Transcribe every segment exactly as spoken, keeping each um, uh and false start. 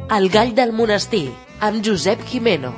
El gall del monestir, amb Josep Gimeno.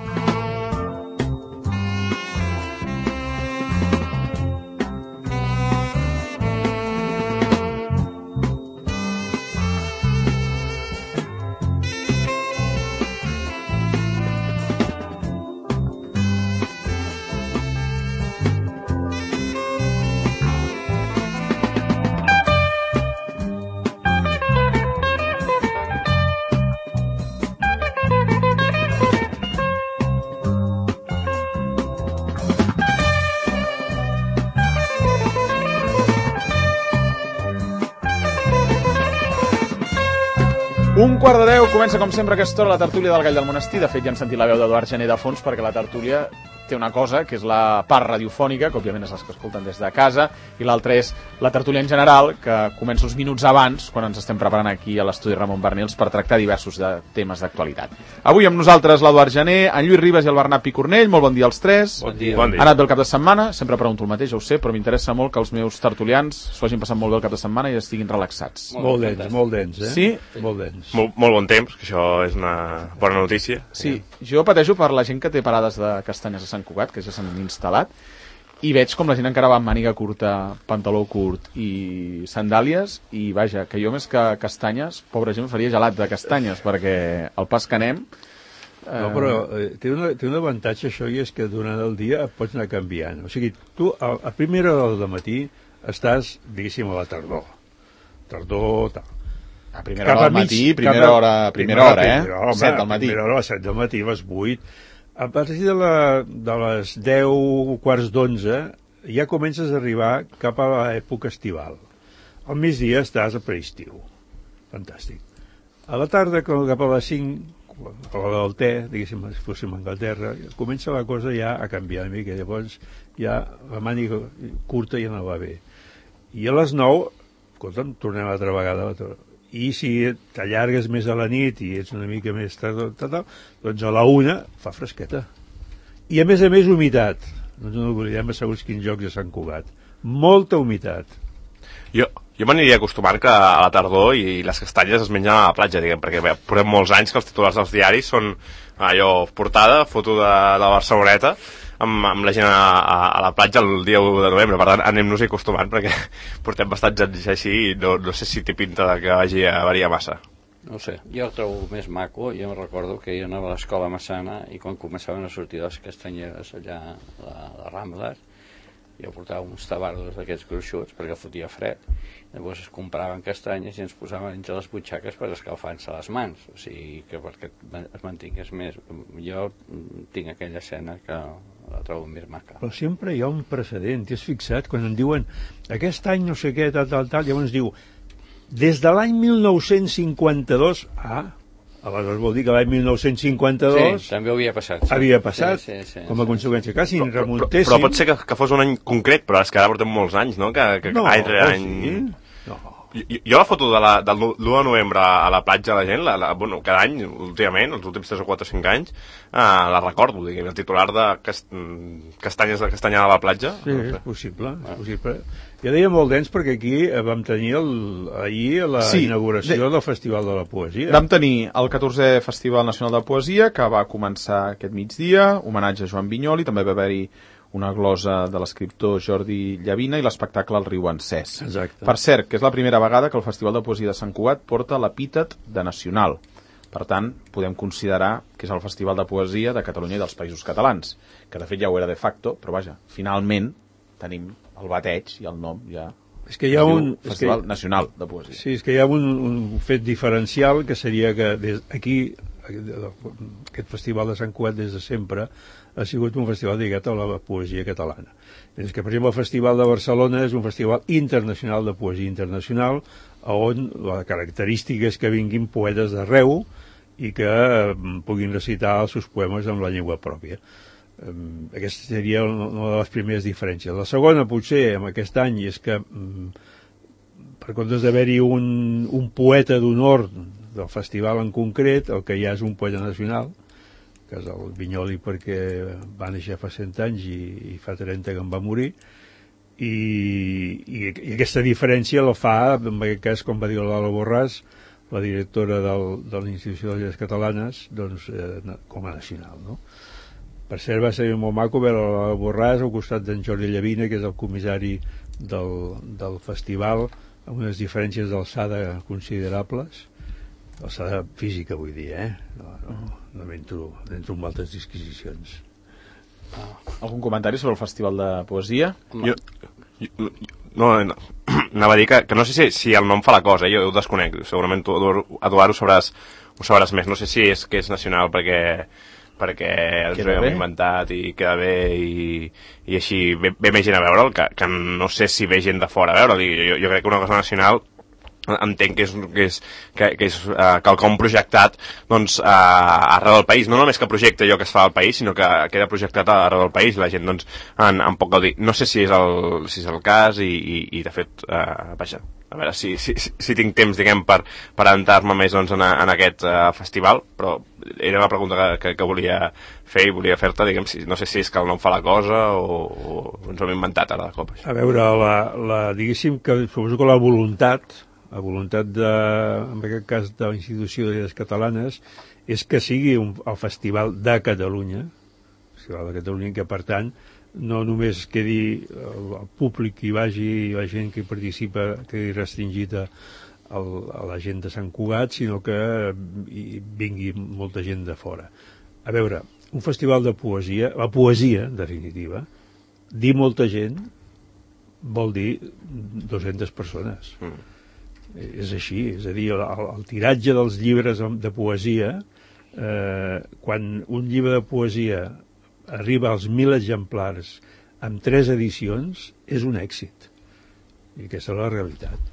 Un quart de deu, comença com sempre aquesta hora la tertúlia del Gall del Monestir. De fet, ja hem sentit la veu d'Eduard Gené de fons, perquè la tertúlia té una cosa, que és la part radiofònica, que òbviament és les que escolten des de casa, i l'altra és la tertúlia en general, que comença uns minuts abans, quan ens estem preparant aquí a l'estudi Ramon Bernils per tractar diversos de temes d'actualitat. Avui amb nosaltres l'Eduard Gené, en Lluís Ribas i el Bernat Picornell. Molt bon dia als tres. Bon dia. Bon dia. Ha anat bé el cap de setmana? Sempre pregunto el mateix, ja ho sé, però m'interessa molt que els meus tertulians s'ho hagin passat molt bé el cap de setmana i estiguin relaxats. Molt dens, molt dens, eh? Sí? Molt dens. Molt, molt bon temps, que això és una bona notícia. Sí, jo pateixo per la gent que té parades de castanyes a Sant Cugat, que ja s'han instal·lat, i veig com la gent encara va amb màniga curta, pantaló curt i sandàlies, i vaja, que jo més que castanyes, pobra gent, faria gelat de castanyes, perquè el pas que anem... Eh... No, però eh, té, una, té un avantatge això, i és que durant el dia et pots anar canviant. O sigui, tu a, a primera hora del matí estàs, diguéssim, a la tardor. Tardor, tal. A primera hora del matí, primera hora, primera hora, eh? Primera hora, set del matí. Primera hora, a les set del matí, a les vuit. A partir de, la, de les deu, quarts d'onze, ja comences a arribar cap a l'època estival. Al migdia estàs a preestiu. Fantàstic. A la tarda, cap a les cinc, a l'hora del te, diguéssim, si fóssim a Anglaterra, comença la cosa ja a canviar una mica. Llavors, ja la màniga curta ja no va bé. I a les nou, escolta'm, tornem altra vegada a la i si t'allargues més a la nit i ets una mica més tard, doncs a la una fa fresqueta. I a més a més humitat. No ens oblidem a segons quins jocs de Sant Cugat. Molta humitat. Jo, jo m'aniria acostumant que a la tardor i les castanyes es mengen a la platja, diguem, perquè bé, portem molts anys que els titulars dels diaris són allò, portada, foto de, de la Barceloneta, amb, amb la gent a, a, a la platja el dia u de novembre. Per tant, anem-nos-hi acostumant, perquè portem bastants anys així i no, no sé si té pinta de que vagi a variar massa. No sé, jo el trobo més maco. Jo recordo que jo anava a l'escola Massana i quan començaven a sortir les castanyeres allà a la, la Rambla, jo portava uns tabardos d'aquests gruixuts perquè fotia fred. Llavors es compraven castanyes i ens posaven entre les butxaques per escalfar-se les mans, o sigui que perquè es mantingués més. Jo tinc aquella escena que la trobo més maca. Però sempre hi ha un precedent, t'hi has fixat? Quan en diuen aquest any no sé què, tal, tal, tal, llavors diu des de l'any mil nou-cents cinquanta-dos, ah, aleshores vol dir que l'any mil nou-cents cinquanta-dos sí, també havia passat. Sí. Havia passat, sí, sí, sí, com a sí. conseqüència. Clar, si però, remuntéssim... Però, però pot ser que, que fos un any concret, però és que ara portem molts anys, no? Que, que no, any, any... sí. No. Jo, jo la foto de la, del l'u de novembre a la platja la gent, la, la, bueno, cada any, últimament, els últims tres o quatre o cinc anys, eh, la recordo, diguem, el titular de cast... castanyes de castanyada a la platja. Sí, no sé. És possible, és possible. Ja deia molt dens perquè aquí vam tenir el, ahir la sí, inauguració de... del Festival de la Poesia. Vam tenir el catorzè Festival Nacional de Poesia, que va començar aquest migdia, homenatge a Joan Vinyoli, també va haver-hi una glosa de l'escriptor Jordi Llavina i l'espectacle El riu encès. Exacte. Per cert, que és la primera vegada que el Festival de Poesia de Sant Cugat porta l'epítet de nacional. Per tant, podem considerar que és el Festival de Poesia de Catalunya i dels Països Catalans, que de fet ja ho era de facto, però vaja, finalment tenim el bateig i el nom ja... És que hi ha un Festival que... Nacional de Poesia. Sí, és que hi ha un, un fet diferencial, que seria que des, aquí, aquest Festival de Sant Cugat des de sempre ha sigut un festival dedicat a la poesia catalana. És que, per exemple, el Festival de Barcelona és un festival internacional de poesia internacional, on la característica és que vinguin poetes d'arreu i que eh, puguin recitar els seus poemes amb la llengua pròpia. Eh, aquesta seria una de les primeres diferències. La segona, potser, amb aquest any, és que eh, per comptes d'haver-hi un, un poeta d'honor del festival en concret, el que hi ha és un poeta nacional, que és el Vinyoli, perquè va néixer fa cent anys i, i fa trenta que en va morir, i, i, i aquesta diferència la fa, en aquest cas, com va dir l'Ala Borràs, la directora del, de l'Institució de Lletres Catalanes, doncs, eh, com a nacional, no? Per cert, va ser molt maco veure la Borràs al costat d'en Jordi Llavina, que és el comissari del, del festival, amb unes diferències d'alçada considerables, alçada física, vull dir, eh? No, no, no m'entro, m'entro en altres disquisicions. Ah. Algun comentari sobre el Festival de Poesia? Jo, jo, no, no, anava a dir que, que no sé si, si el nom fa la cosa, eh? Jo ho desconec, segurament tu, Eduard, ho sabràs, ho sabràs més, no sé si és que és nacional perquè perquè ens ho hem inventat i queda bé i, i així ve, ve més gent a veure'l, que, que no sé si ve gent de fora a veure'l. Jo, jo crec que una cosa nacional entenc que és, que és, que, que és uh, quelcom projectat doncs, uh, arreu del país, no només que projecta allò que es fa al país, sinó que queda projectat arreu del país, la gent doncs, en, en pot gaudir. No sé si és el, si és el cas i, i, i de fet, uh, vaja, a veure si, si, si tinc temps, diguem, per, per entrar-me més doncs, en, en aquest uh, festival, però era una pregunta que, que, que volia fer i volia fer-te, diguem, si, no sé si és que el nom fa la cosa o, o ens ho hem inventat ara de cop. Això. A veure, la, la, diguéssim que suposo que la voluntat la voluntat, de, en aquest cas, de l'Institució de Lletres Catalanes, és que sigui un, el Festival de Catalunya, el Festival de Catalunya, que, per tant, no només quedi el, el públic que hi vagi, la gent que hi participa, quedi restringit a, a la gent de Sant Cugat, sinó que hi vingui molta gent de fora. A veure, un festival de poesia, la poesia, en definitiva, dir molta gent vol dir dues-centes persones. Mm. És així, és a dir, el, el tiratge dels llibres de poesia, eh, quan un llibre de poesia arriba als mil exemplars amb tres edicions, és un èxit. I aquesta és la realitat.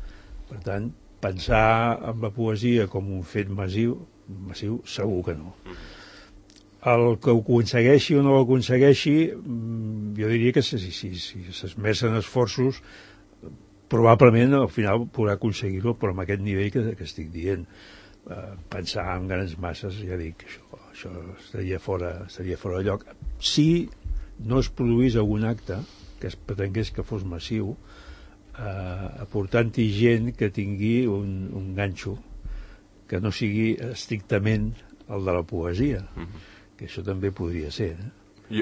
Per tant, pensar en la poesia com un fet massiu, massiu segur que no. El que ho aconsegueixi o no ho aconsegueixi, jo diria que si s'esmercen esforços, probablement al final podrà aconseguir-ho, però amb aquest nivell que, que estic dient. Eh, pensar en grans masses, ja dic, això, això estaria fora, estaria fora de lloc. Si no es produís algun acte que es pretengués que fos massiu, eh, aportant-hi gent que tingui un, un ganxo que no sigui estrictament el de la poesia, mm-hmm. que això també podria ser. Eh?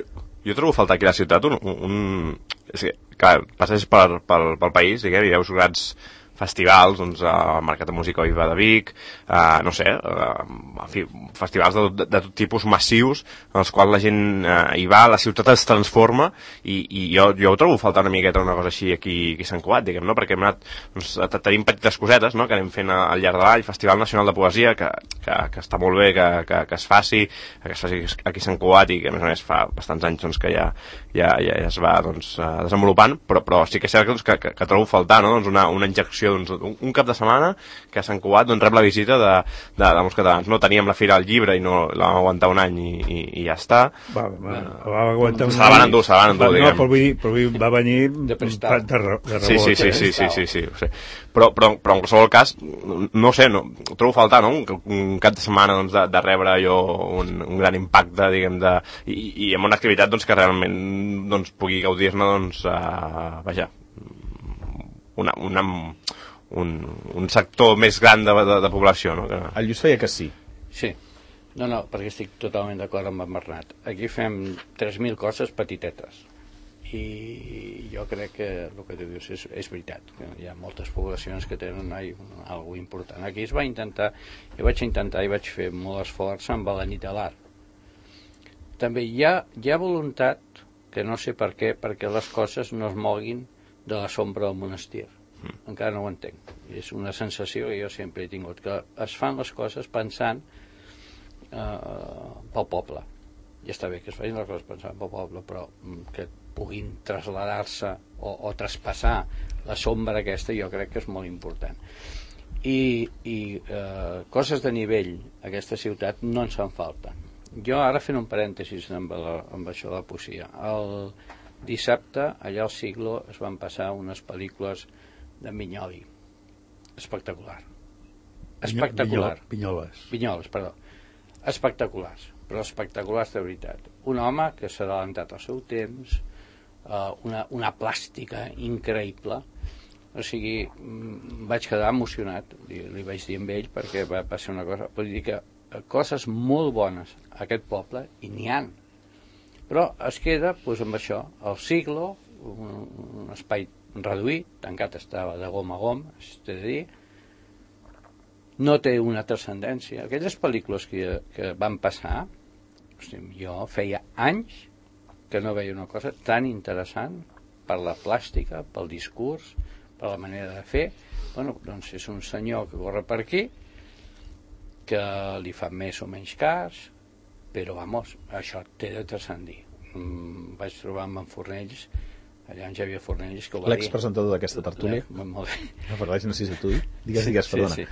Jo, jo trobo a faltar aquí a la ciutat un... un... És que, clar, passes pel, pel, pel país, diguem, i veus grans festivals, doncs, el Mercat de Música Viva de Vic, eh, no sé, eh, en fi, festivals de, de, de tot tipus massius, en els quals la gent eh, hi va, la ciutat es transforma, i, i jo, jo ho trobo faltar una miqueta una cosa així aquí, aquí a Sant Cugat, diguem, no? Perquè hem anat, doncs, tenim petites cosetes, no?, que anem fent al llarg de l'any, Festival Nacional de Poesia, que, que, que està molt bé que, que, que es faci, que es faci aquí a Sant Cugat, i que a més a més fa bastants anys doncs, que ja, ja, ja es va doncs, desenvolupant, però, però sí que és cert que, que, que, que trobo faltar, no?, doncs una, una injecció doncs, un, un cap de setmana que a Sant Cugat doncs, rep la visita de, de, de molts catalans. No teníem la Fira del Llibre i no la vam aguantar un any i, i, i ja està. Va, va, va aguantar un any. Se la van endur, se la van endur, va, diguem. No, però vull dir, però vull dir, va venir de, de, de, de rebot. Sí, sí, sí, sí, sí, sí, sí, sí. Però, però, però en qualsevol cas, no sé, no, ho trobo faltar, no? Un, un cap de setmana doncs, de, de rebre jo un, un gran impacte, diguem, de, i, i amb una activitat doncs, que realment doncs, pugui gaudir-ne, doncs, uh, vaja, una, una, un, un sector més gran de, de, de població, no? Que... El Lluís feia que sí. Sí. No, no, perquè estic totalment d'acord amb en Bernat. Aquí fem tres mil coses petitetes. I jo crec que el que tu dius és, és veritat. Hi ha moltes poblacions que tenen alguna cosa important. Aquí es va intentar, jo vaig intentar i vaig fer molt esforç amb la nit de l'art. També hi ha, hi ha voluntat, que no sé per què, perquè les coses no es moguin de la sombra del monestir. Mm. Encara no ho entenc. És una sensació que jo sempre he tingut, que es fan les coses pensant eh, pel poble. Ja està bé que es facin les coses pensant pel poble, però que puguin traslladar-se o, o traspassar la sombra aquesta jo crec que és molt important. I, i eh, coses de nivell a aquesta ciutat no ens fan falta. Jo ara fent un parèntesis amb, la, amb això de la poesia. El dissabte allà al Siglo es van passar unes pel·lícules de Vinyoli. Espectacular. Espectacular. Vinyoles. Vinyoles, perdó. Espectaculars, però espectaculars de veritat. Un home que s'ha adelantat al seu temps, eh, una, una plàstica increïble, O sigui, vaig quedar emocionat, li, li vaig dir amb ell, perquè va, va ser una cosa... Vull dir que coses molt bones a aquest poble, i n'hi ha. Però es queda doncs, amb això, el siglo, un, un espai reduït, tancat estava de gom a gom, és a dir, no té una transcendència. Aquelles pel·lícules que, que van passar, hosti, jo feia anys que no veia una cosa tan interessant per la plàstica, pel discurs, per la manera de fer. Bueno, doncs és un senyor que corre per aquí, que li fa més o menys cas, però, vamos, això té de transcendir. Mm, vaig trobar amb en Fornells, allà en Xavier Fornells, que ho va dir. L'expresentador d'aquesta tertúlia. Molt bé. No, però no sé si tu. Digues, digues, perdona. Sí, sí.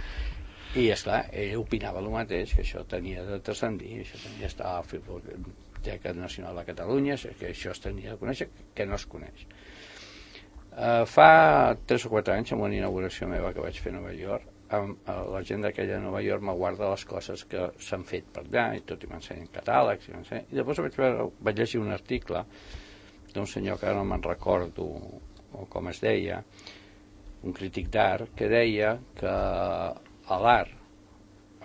I, esclar, ell opinava el mateix, que això tenia de transcendir, això tenia d'estar a la Biblioteca Nacional de Catalunya, que això es tenia de conèixer, que no es coneix. Uh, fa tres o quatre anys, en una inauguració meva que vaig fer a Nova York, amb uh, la gent d'aquella de Nova York me guarda les coses que s'han fet per allà, i tot i m'ensenyen catàlegs, i, i després vaig, veure, vaig llegir un article d'un senyor que ara no me'n recordo o com es deia, un crític d'art, que deia que l'art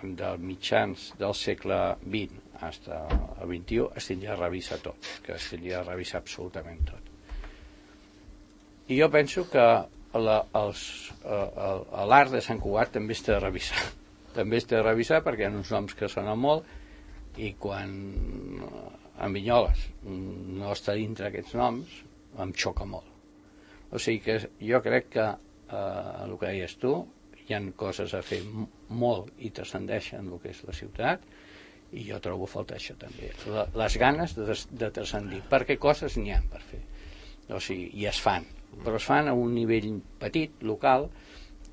de mitjans del segle vint fins al vint-i-u es tindria a revisar tot, que es tindria a revisar absolutament tot. I jo penso que l'art de Sant Cugat també es té de revisar. També es té de revisar perquè hi ha uns noms que sonen molt i quan en Vinyoles no està dintre aquests noms em xoca molt. O sigui que jo crec que eh, el que deies tu, hi ha coses a fer molt i transcendeixen el que és la ciutat, i jo trobo a faltar això també, la, les ganes de, de transcendir, perquè coses n'hi ha per fer, o sigui, i es fan, però es fan a un nivell petit, local,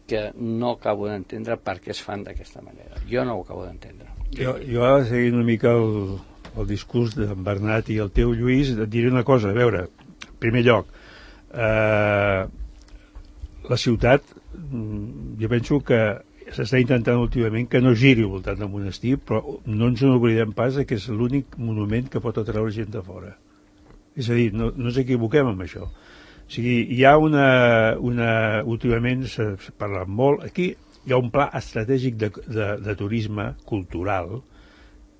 que no acabo d'entendre per què es fan d'aquesta manera. Jo no ho acabo d'entendre. Jo, jo ara, seguint una mica el, el discurs d'en Bernat i el teu, Lluís, et diré una cosa. A veure, en primer lloc, eh, la ciutat, jo penso que s'està intentant últimament que no giri al voltant del monestir, però no ens n'oblidem pas que és l'únic monument que pot atraure gent de fora. És a dir, no, no ens equivoquem amb això. O sigui, hi ha una... una últimament s'ha parlat molt... Aquí hi ha un pla estratègic de, de, de turisme cultural.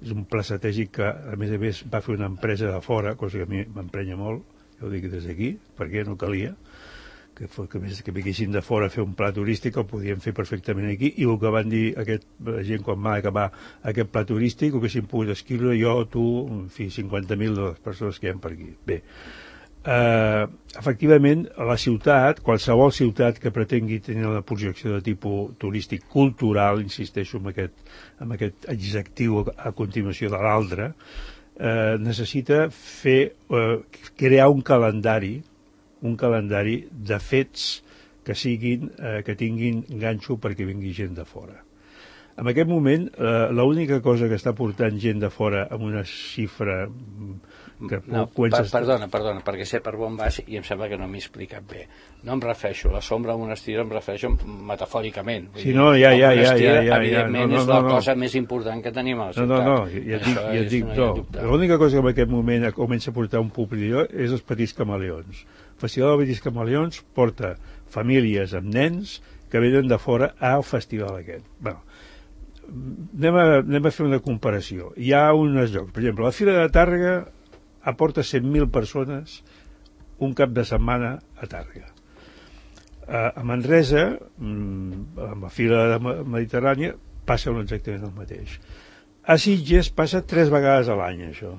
És un pla estratègic que, a més a més, va fer una empresa de fora, cosa que a mi m'emprenya molt, ja ho dic des d'aquí, perquè no calia, que, que, que vinguessin de fora a fer un pla turístic, el podien fer perfectament aquí, i el que van dir aquest, la gent quan va acabar aquest pla turístic, ho haguessin pogut escriure jo, tu, en fi, cinquanta mil de les persones que hi ha per aquí. Bé, Uh, efectivament, la ciutat, qualsevol ciutat que pretengui tenir una projecció de tipus turístic cultural, insisteixo en aquest, en aquest adjectiu a continuació de l'altre, uh, necessita fer, uh, crear un calendari, un calendari de fets que siguin, uh, que tinguin ganxo perquè vingui gent de fora. En aquest moment, uh, l'única cosa que està portant gent de fora amb una xifra que no, per, perdona, perdona, perquè sé per on vas i em sembla que no m'he explicat bé. No em refereixo, la sombra al monestir em refereixo metafòricament. Sí, no, ja, ja, ja, ja, ja, evidentment no, no, és la no, no. cosa més important que tenim a la ciutat. No, no, no, ja et dic, ja et dic no. L'única cosa que en aquest moment comença a portar un públic és els petits camaleons. El Festival dels Petits Camaleons porta famílies amb nens que venen de fora al festival aquest. Bé, anem a, anem a fer una comparació. Hi ha uns llocs, per exemple, la Fira de Tàrrega aporta cent mil persones un cap de setmana a Tàrrega. A Manresa, amb la Fira Mediterrània, passa exactament el mateix. A Sitges passa tres vegades a l'any, això.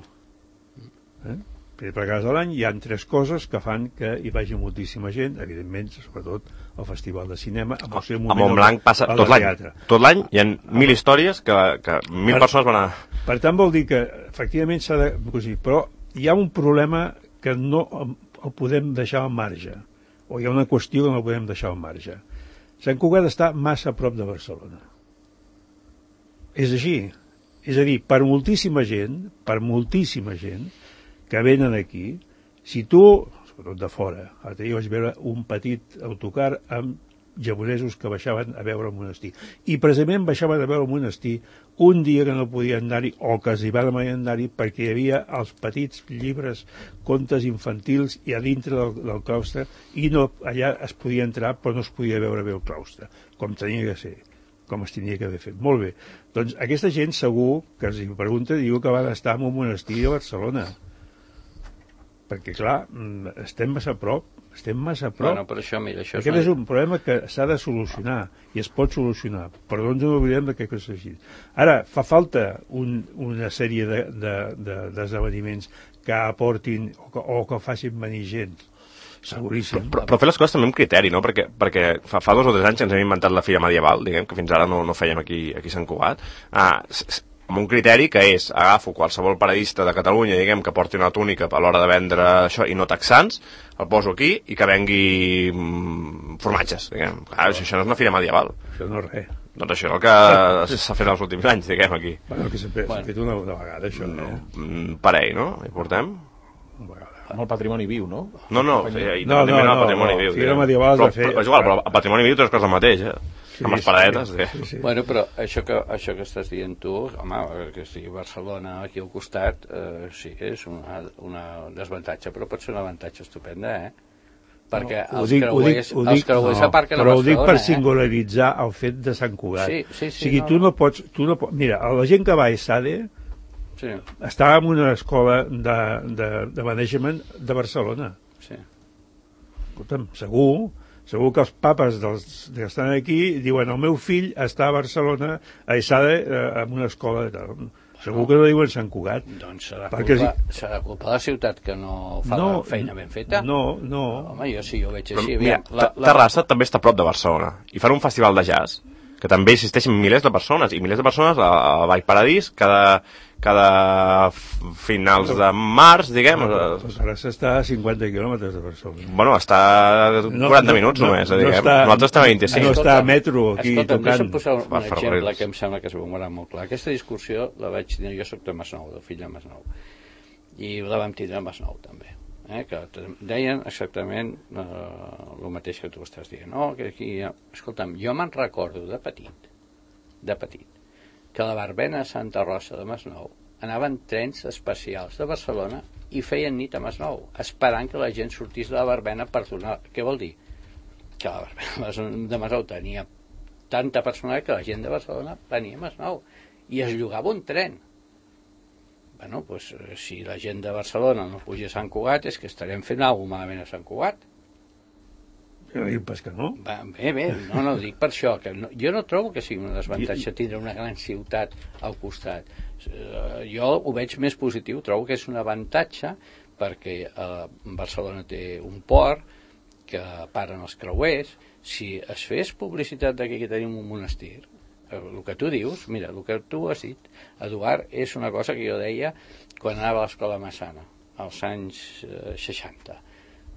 Eh? Tres vegades a l'any hi ha tres coses que fan que hi vagi moltíssima gent, evidentment, sobretot el Festival de Cinema. A Montblanc passa tot l'any. Tot l'any hi ha mil històries que, que mil per, persones van a... Per tant, vol dir que, efectivament, s'ha de... Però hi ha un problema que no el podem deixar al marge, o hi ha una qüestió que no el podem deixar al marge. Sant Cugat està massa a prop de Barcelona. És així. És a dir, per moltíssima gent, per moltíssima gent que venen aquí, si tu, sobretot de fora, ara jo vaig veure un petit autocar amb japonesos que baixaven a veure el monestir. I precisament baixaven a veure el monestir un dia que no podien anar-hi, o que s'hi van anar-hi, perquè hi havia els petits llibres, contes infantils, i a dintre del, del claustre, i no, allà es podia entrar, però no es podia veure bé el claustre, com tenia que ser, com es tenia que haver fet. Molt bé. Doncs aquesta gent segur que els pregunta, diu que van estar en un monestir a Barcelona. Perquè, clar, estem massa a prop, estem massa a prop. Bueno, però això, mira, això Aquest és, una... és un problema que s'ha de solucionar, i es pot solucionar, però no ens oblidem de que és així. Ara, fa falta un, una sèrie d'esdeveniments de, de, que aportin o que, o que facin venir gent. Seguríssim. Però, però fer les coses també amb criteri, no? Perquè, perquè fa, fa dos o tres anys que ens hem inventat la Fira Medieval, diguem, que fins ara no, no fèiem aquí, aquí a Sant Cugat. Ah, amb un criteri que és, agafo qualsevol paradista de Catalunya, diguem, que porti una túnica a l'hora de vendre això i no taxants, el poso aquí i que vengui mm, formatges, diguem. Clar, això, això no és una fira medieval. Això no és res. Doncs això és el que s'ha fet els últims anys, diguem, aquí. Bueno, que s'ha fet, bueno. fet una, una vegada, això, no? Mm, parell, no? Hi portem? Una vegada. Amb el patrimoni viu, no? No, no, no, no, no, no, patrimoni no, viu. Fira medieval però, de fer... però és igual, però el patrimoni viu té les coses del mateix, eh? Sí, amb les paradetes. Sí, sí, sí. Bueno, però això que, això que estàs dient tu, home, que sigui Barcelona aquí al costat, eh, sí, és una, una desavantatge, però pot ser un avantatge estupenda, eh? Perquè no, els, dic, creuers, dic, els creuers no, aparquen a Barcelona, però ho dic per eh? singularitzar el fet de Sant Cugat. Sí, sí, sí, o sigui, no, tu no pots... Tu no pots mira, la gent que va a ESADE sí. estava en una escola de, de, de management de Barcelona. Sí. Escolta'm, segur... Segur que els papes dels, que estan aquí diuen el meu fill està a Barcelona a ESADE eh, en una escola de tal. Segur que no diuen Sant Cugat. Doncs serà perquè culpa, si... serà culpa de la ciutat que no fa no, la feina ben feta. No, no. Home, jo sí, jo ho veig així. Però, mira, la, la... Terrassa també està a prop de Barcelona i fan un festival de jazz que també existeixen milers de persones i milers de persones a, a Vall Paradís cada, cada finals de març, diguem. No, doncs ara s'està a cinquanta quilòmetres de Barcelona. Bueno, està a quaranta no, minuts no, només, no, diguem. No està, nosaltres estem a vint-i-cinc. No està a metro aquí escolta, tocant. Escolta'm, posar un, un exemple que em sembla que es veurà molt clar. Aquesta discussió la vaig tenir, jo soc de Masnou, del fill de Masnou, i la vam tindre a Masnou també. Eh, que deien exactament eh, el mateix que tu estàs dient, no? Que aquí, escolta'm, jo me'n recordo de petit de petit que a la verbena a Santa Rosa de Masnou anaven trens especials de Barcelona i feien nit a Masnou esperant que la gent sortís de la verbena per tornar. Què vol dir? Que la verbena de Masnou tenia tanta personalitat que la gent de Barcelona venia a Masnou i es llogava un tren. Bueno, doncs, si la gent de Barcelona no puja a Sant Cugat, és que estarem fent alguna cosa malament a Sant Cugat. Jo no dic pas que no. Va, bé, bé, no, no, dic per això, que no, jo no trobo que sigui un desavantatge tindre una gran ciutat al costat. Uh, jo ho veig més positiu, trobo que és un avantatge perquè uh, Barcelona té un port que paren els creuers. Si es fes publicitat de que aquí tenim un monestir, el que tu dius, mira, el que tu has dit, Eduard, és una cosa que jo deia quan anava a l'escola Massana, als anys eh, seixanta.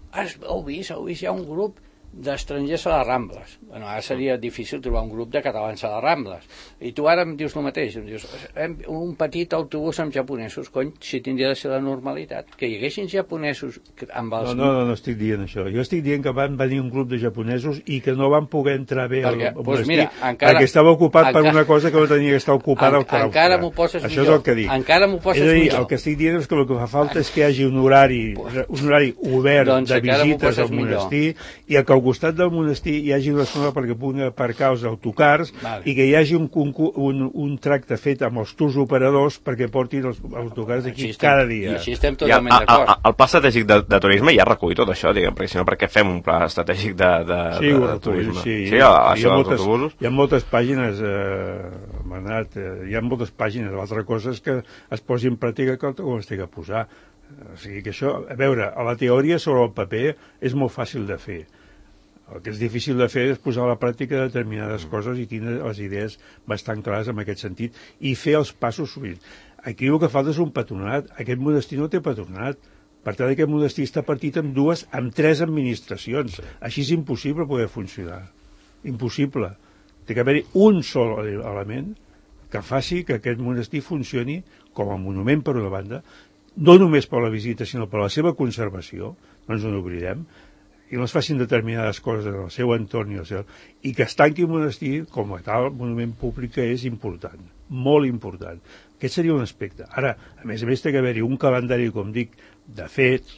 Has, heu vist, heu vist, hi ha un grup d'estrangers a les Rambles. Bueno, ara seria difícil trobar un grup de catalans a les Rambles. I tu ara em dius el mateix, em dius, un petit autobús amb japonesos, cony, si tindria de ser la normalitat, que hi haguessin japonesos amb els... No, no, no, no estic dient això. Jo estic dient que van venir un grup de japonesos i que no van poder entrar bé perquè, al pues monestir, mira, encara, perquè estava ocupat encara, per una cosa que no tenia que estar ocupada en, al claustre. Encara m'ho poses això millor. És el que dic. Encara m'ho poses és a dir, millor. El que estic dient és que el que fa falta és que hi hagi un horari, un horari obert doncs de visites al monestir millor. I que al costat del monestir hi hagi una zona perquè puguin aparcar els autocars vale. I que hi hagi un, un, un tracte fet amb els tours operadors perquè portin els autocars d'aquí cada dia. I així estem totalment d'acord. El pla estratègic de, de turisme ja recull tot això, diguem, perquè si no, per què fem un pla estratègic de, de, sí, de, de, de turisme? Sí, sí, hi, ha, això hi, ha moltes, autobusos. Hi ha moltes pàgines, eh, Manat, eh, hi ha moltes pàgines. L'altra cosa és que es posi en pràctica com es té que posar. O sigui que això, a veure, a la teoria sobre el paper és molt fàcil de fer. El que és difícil de fer és posar a la pràctica determinades coses i tindre les idees bastant clares en aquest sentit i fer els passos sovint. Aquí el que falta és un patronat. Aquest monestir no té patronat. Per tant, aquest monestir està partit en dues, en tres administracions. Així és impossible poder funcionar. Impossible. Té que haver-hi un sol element que faci que aquest monestir funcioni com a monument per una banda, no només per la visita, sinó per la seva conservació, no ens en oblidem, i no es facin determinades coses en el seu entorn i, el seu, i que es tanqui un monestir com a tal monument públic que és important, molt important. Aquest seria un aspecte. Ara, a més a més, té que haver-hi un calendari, com dic, de fets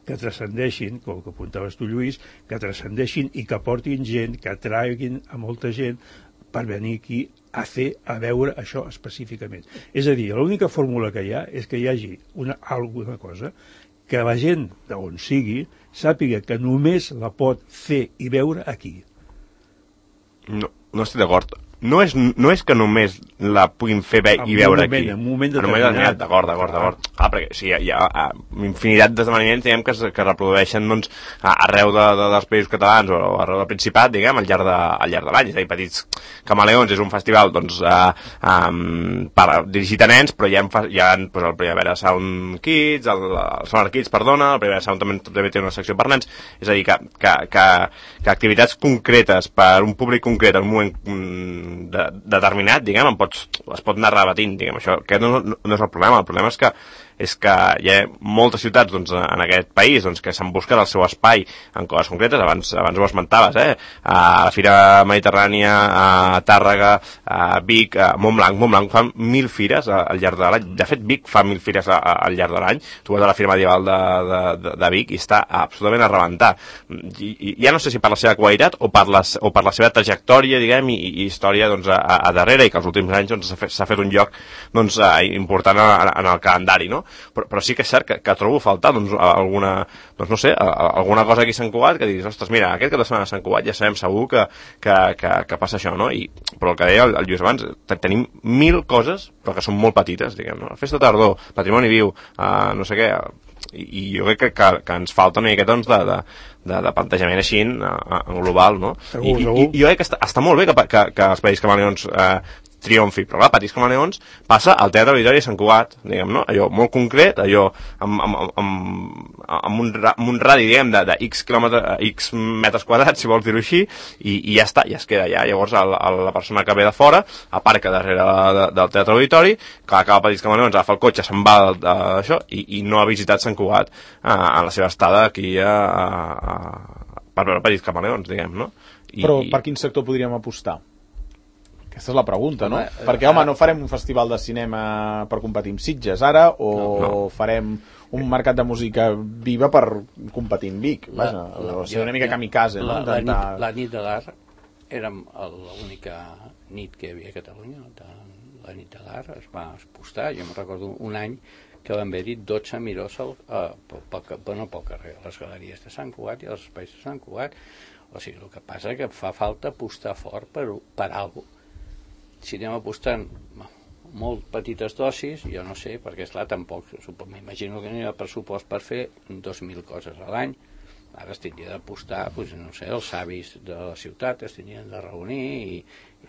que transcendeixin, com que apuntaves tu, Lluís, que transcendeixin i que portin gent, que atraiguin a molta gent per venir aquí a fer, a veure això específicament. És a dir, l'única fórmula que hi ha és que hi hagi una, alguna cosa que la gent d'on sigui sàpiga que només la pot fer i veure aquí. No, no estic d'acord. No és, no és que només la puguin fer bé i veure moment, aquí. En un moment determinat. D'acord, d'acord, d'acord. Ah, perquè sí, hi ha, hi ha infinitat d'esdeveniments, diguem, que es, que reprodueixen, doncs, arreu de, de, dels països catalans o arreu del Principat, diguem, al llarg de, al llarg de l'any. És a dir, Petits Camaleons és un festival, doncs, eh, um, per, dirigit a nens, però hi ha, hi ha doncs, el Primavera Sound Kids, el, el Summer Kids, perdona, el Primavera Sound també, també té una secció per nens. És a dir, que, que, que, que activitats concretes per un públic concret en un moment De, determinat, diguem, em pots, es pot anar rebatint, diguem, això, aquest no, no, no és el problema, el problema és que és que hi ha moltes ciutats, doncs, en aquest país, doncs, que s'han buscat el seu espai en coses concretes, abans, abans ho esmentaves, eh? A la Fira Mediterrània, a Tàrrega, a Vic, a Montblanc, Montblanc fan mil fires al llarg de l'any, de fet Vic fa mil fires al llarg de l'any, tu vas a la Fira Medieval de, de, de, de Vic i està absolutament a rebentar, I, i, ja no sé si per la seva qualitat o per, les, o per la seva trajectòria, diguem, i, i història, doncs, a, a darrere, i que els últims anys, doncs, s'ha fet, s'ha fet un lloc, doncs, important en, en el calendari, no? Però, però sí que és cert que, que trobo a faltar, doncs, alguna, doncs, no sé, alguna cosa aquí a Sant Cugat que diguis, ostres, mira, aquest cap de setmana a Sant Cugat ja sabem segur que, que, que, que passa això, no? I, però el que deia el, el Lluís abans, tenim mil coses, però que són molt petites, diguem, no? Festa tardor, patrimoni viu, uh, no sé què, i, i jo crec que, que, que ens falta una miqueta, doncs, de, de, de, de plantejament així en, en global, no? Segur, I, segur. i, i jo crec que està, està molt bé que, que, que els Petits Camaleons eh, triomfi, però clar, Petits Camaleons passa al Teatre Auditori de Sant Cugat, diguem, no? Allò molt concret, allò amb, amb, amb, amb, un, amb un radi, diguem, de, de X quilòmetres, X metres quadrats, si vols dir-ho així, i, i ja està, ja es queda allà. Llavors el, el, la persona que ve de fora aparca darrere de, del Teatre Auditori, que acaba Petits Camaleons, agafa el cotxe, se'n va d'això, i, i no ha visitat Sant Cugat eh, en la seva estada aquí a, a, a, per veure Petits Camaleons, diguem, no? I, però per quin sector podríem apostar? Aquesta és la pregunta, no? Home, Perquè, home, no farem un festival de cinema per competir amb Sitges ara, o no, no. farem un mercat de música viva per competir amb Vic. Vaja, la, o sigui, una mica kamikaze, no? La, la, Intentar... nit, la nit de l'art érem l'única nit que hi havia a Catalunya. La nit de l'art es va expostar. Jo me'n recordo un any que van haver-hi dotze mirós al, eh, pel, pel, bueno, pel carrer, a les galeries de Sant Cugat i als espais de Sant Cugat. O sigui, el que passa és que fa falta apostar fort per, per alguna cosa. Si anem apostant molt petites dosis, jo no sé, perquè esclar, tampoc m'imagino que no hi ha pressupost per fer dos mil coses a l'any. Ara es tindria d'apostar, doncs, no sé, els savis de la ciutat es tindrien de reunir i,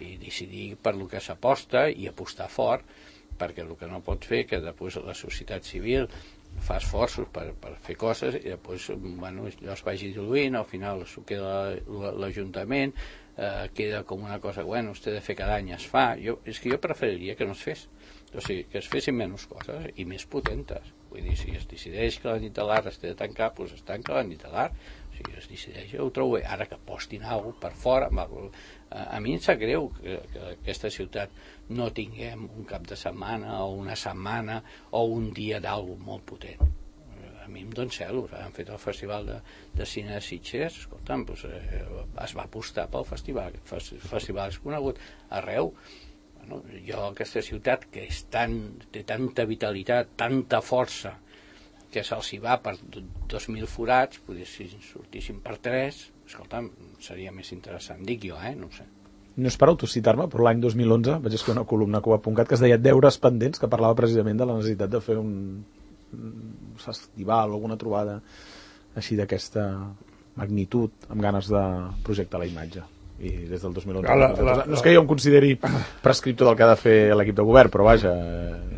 i decidir per lo que s'aposta i apostar fort, perquè el que no pot fer que després la societat civil fa esforços per, per fer coses i després, bueno, allò es vagi diluint, al final s'ho queda l'Ajuntament, eh, queda com una cosa, bueno, usted de fer cada any es fa. Jo, és que jo preferiria que no es fes, o sigui, que es fessin menys coses i més potentes. Vull dir, si es decideix que la nit de l'art es té de tancar, doncs es tanca la nit de l'art. O sigui, es decideix, jo ho trobo bé. Ara que postin alguna cosa per fora, a, a mi em sap greu que, que aquesta ciutat no tinguem un cap de setmana o una setmana o un dia d'alguna molt potent. A mi em dona celos. Han fet el festival de, de cine de Sitges, escolta'm, doncs, eh, es va apostar pel festival. El festival és conegut arreu. Bueno, jo, aquesta ciutat que és tan, té tanta vitalitat, tanta força, que se'ls hi va per dos mil forats, potser si sortissin per tres, escolta'm, seria més interessant. Dic jo, eh? No ho sé. No és per autocitar-me, però l'any dos mil onze vaig escriure una columna a Cuba punt cat que es deia Deures pendents, que parlava precisament de la necessitat de fer un, un festival o alguna trobada així d'aquesta magnitud, amb ganes de projectar la imatge. I des del dos mil onze... La, la, no és que jo em consideri prescriptor del que ha de fer l'equip de govern, però vaja,